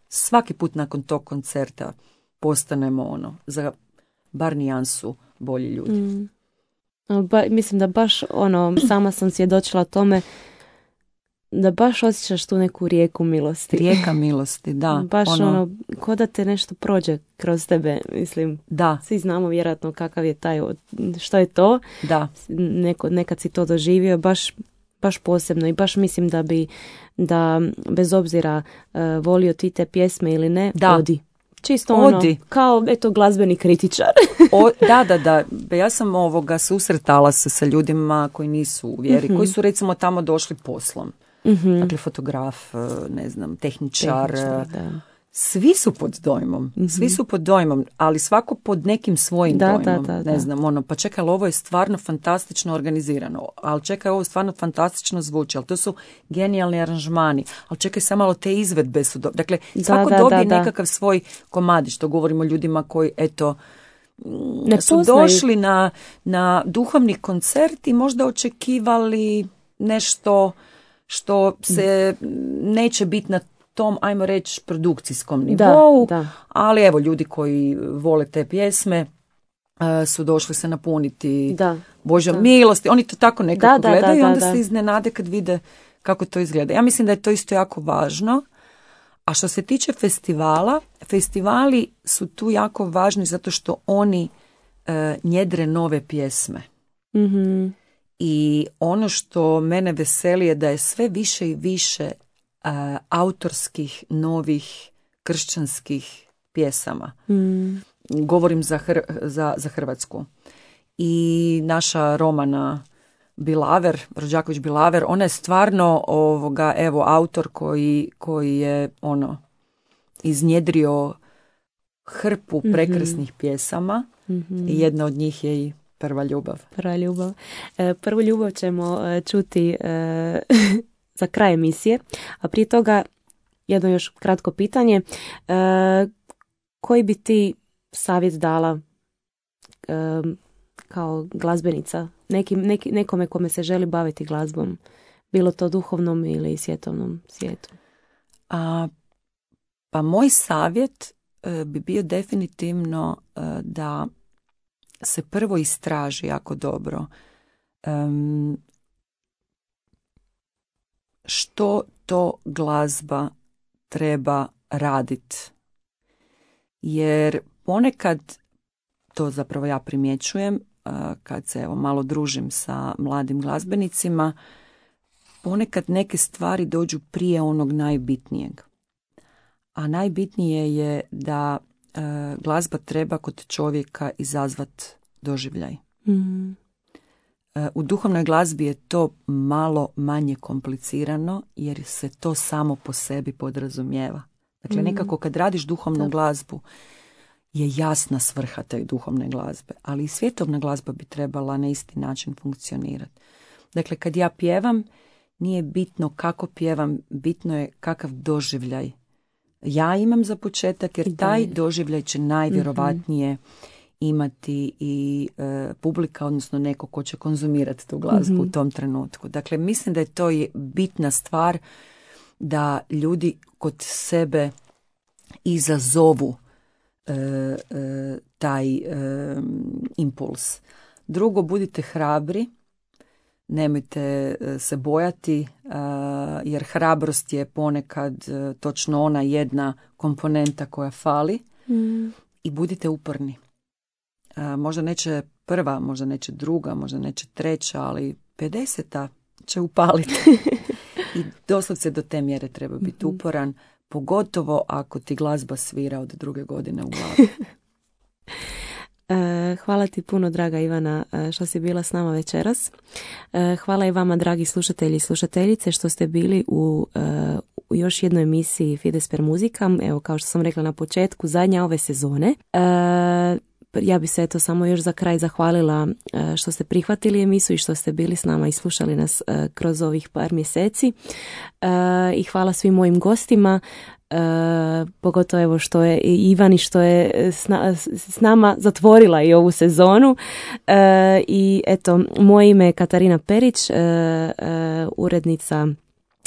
Svaki put nakon tog koncerta postanemo za bar nijansu bolji ljudi. Mislim da baš sama sam svjedočila tome da baš osjećaš tu neku rijeku milosti. Rijeka milosti, da. Baš ko da te nešto prođe kroz tebe, mislim. Da. Svi znamo vjerojatno kakav je taj, što je to. Da. Nekad si to doživio, baš posebno i baš mislim da bez obzira volio ti te pjesme ili ne, odi. Čisto kao glazbeni kritičar. Da. Ja sam susretala se sa ljudima koji nisu u vjeri, koji su recimo tamo došli poslom. Dakle, fotograf, ne znam, tehničar. Svi su pod dojmom. Svi su pod dojmom, ali svako pod nekim svojim dojmom. Ne znam, pa čekaj, ali ovo je stvarno fantastično organizirano. Ali čekaj, ovo stvarno fantastično zvuči. Ali to su genijalni aranžmani. Ali čekaj, samo malo te izvedbe su dobre. Dakle, svako dobije nekakav svoj komadić. To govorimo o ljudima koji, su došli na duhovni koncert i možda očekivali nešto što se neće biti na tom, ajmo reći, produkcijskom nivou, ali evo, ljudi koji vole te pjesme su došli se napuniti Božjom milosti. Oni to tako nekako gledaju i onda se iznenade kad vide kako to izgleda. Ja mislim da je to isto jako važno. A što se tiče festivala, festivali su tu jako važni zato što oni njedre nove pjesme. I ono što mene veseli je da je sve više i više autorskih, novih, kršćanskih pjesama. Govorim za Hrvatsku. I naša Romana Bilaver, Rođaković Bilaver, ona je stvarno autor koji je iznjedrio hrpu prekrasnih pjesama i jedna od njih je i Prva ljubav. Prva ljubav. Prvu ljubav ćemo čuti za kraj emisije, a prije toga jedno još kratko pitanje. Koji bi ti savjet dala kao glazbenica nekome kome se želi baviti glazbom, bilo to duhovnom ili svjetovnom svijetu? Pa moj savjet bi bio definitivno da se prvo istraži jako dobro što to glazba treba raditi. Jer ponekad, to zapravo ja primjećujem kad se malo družim sa mladim glazbenicima, ponekad neke stvari dođu prije onog najbitnijeg. A najbitnije je da glazba treba kod čovjeka izazvat doživljaj. U duhovnoj glazbi je to malo manje komplicirano jer se to samo po sebi podrazumijeva. Dakle, nekako kad radiš duhovnu glazbu je jasna svrha te duhovne glazbe, ali i svjetovna glazba bi trebala na isti način funkcionirati. Dakle, kad ja pjevam, nije bitno kako pjevam, bitno je kakav doživljaj ja imam za početak, jer taj doživljaj će najvjerovatnije imati i publika, odnosno neko ko će konzumirati tu glazbu u tom trenutku. Dakle, mislim da je to bitna stvar da ljudi kod sebe izazovu taj impuls. Drugo, budite hrabri, nemojte se bojati, jer hrabrost je ponekad točno ona jedna komponenta koja fali i budite uporni. Možda neće prva, možda neće druga, možda neće treća, ali 50. će upaliti. I doslovce do te mjere treba biti uporan, pogotovo ako ti glazba svira od 2. godine u glavi. Hvala ti puno, draga Ivana, što si bila s nama večeras. Hvala i vama, dragi slušatelji i slušateljice, što ste bili u još jednoj emisiji Fides per Musicam. Evo, kao što sam rekla na početku, zadnja ove sezone. Ja bi se eto samo još za kraj zahvalila što ste prihvatili emisiju i što ste bili s nama i slušali nas kroz ovih par mjeseci. I hvala svim mojim gostima, pogotovo evo što je Ivani što je s nama zatvorila i ovu sezonu. I eto, moje ime je Katarina Perić, urednica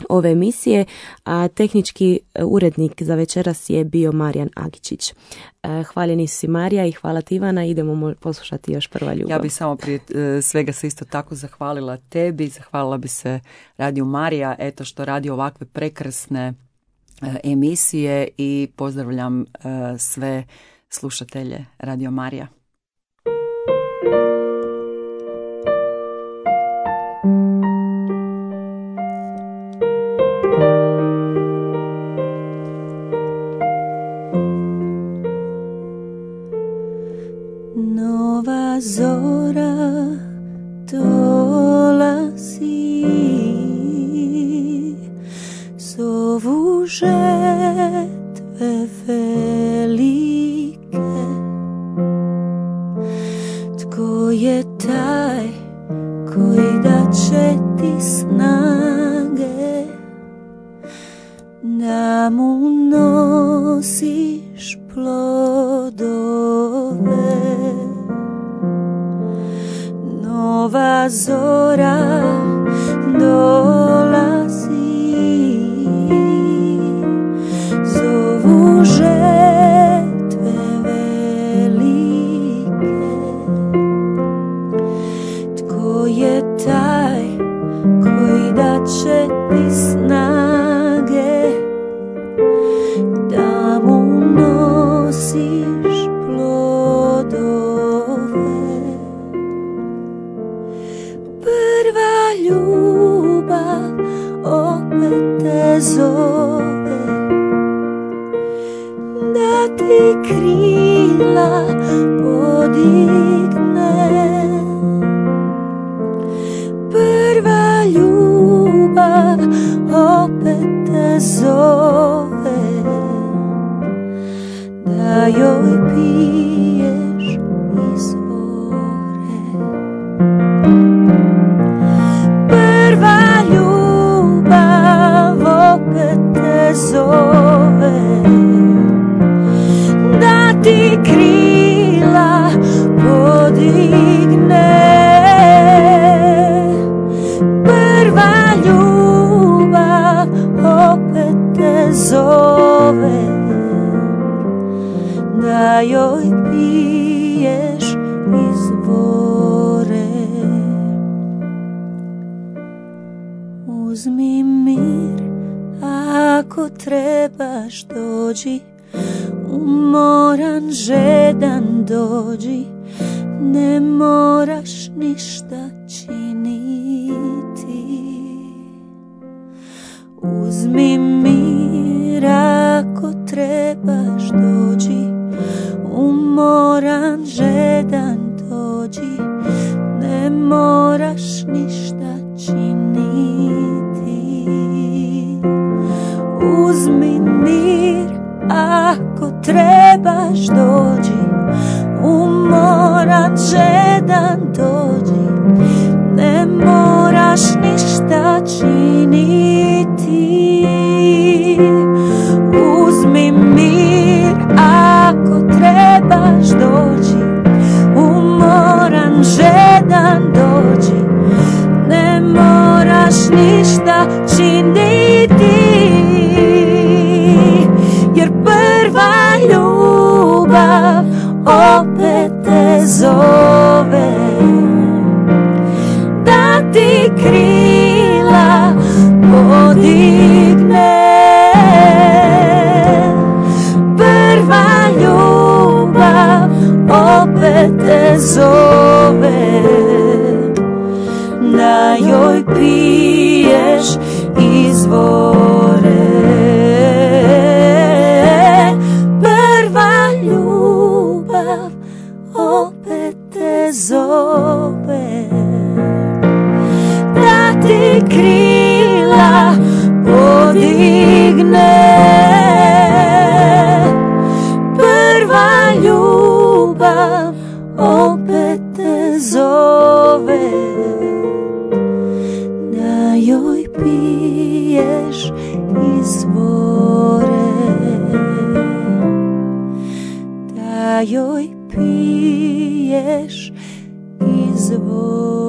ove emisije, a tehnički urednik za večeras je bio Marijan Agičić. Hvaljeni su si, Marija, i hvala ti, Ivana. Idemo poslušati još Prva ljubav. Ja bih samo prije svega se isto tako zahvalila tebi, zahvalila bi se Radio Marija, eto što radi ovakve prekrasne emisije, i pozdravljam sve slušatelje Radio Marija. Nova zora dolazi, zovu žetve velike. Tko je taj koji da će ti snage da mu nosiš plodove? Nova zora dolazi, zovu žetve velike. Tko je taj koji da će ti snage da mu nosiš plodove? Prva ljubav opet te zove da ti krila podigne. da joj piješ izvore. Prva ljubav opet te zove, da ti krila podigne. Prva ljubav opet te zove, da joj piješ izvore. Uzmi mir, ako trebaš dođi, umoran, žedan dođi, ne moraš ništa činiti. Uzmi mir, ako trebaš dođi, umoran, žedan dođi, ne moraš ništa činiti. Uzmi mir, ako trebaš dođi, umoran, žedan dođi, ne moraš ništa činiti. Uzmi mir, ako trebaš dođi, umoran, žedan dođi, ne moraš ništa činiti. Jer prva ljubav opet te zove, da ti krila podigne. Prva ljubav opet te zove, da joj piješ izvore. Prva ljubav opet te zove, da ti krila podigne. Prva ljubav opet te zove, da joj piješ izvore. Da joj piješ izvore.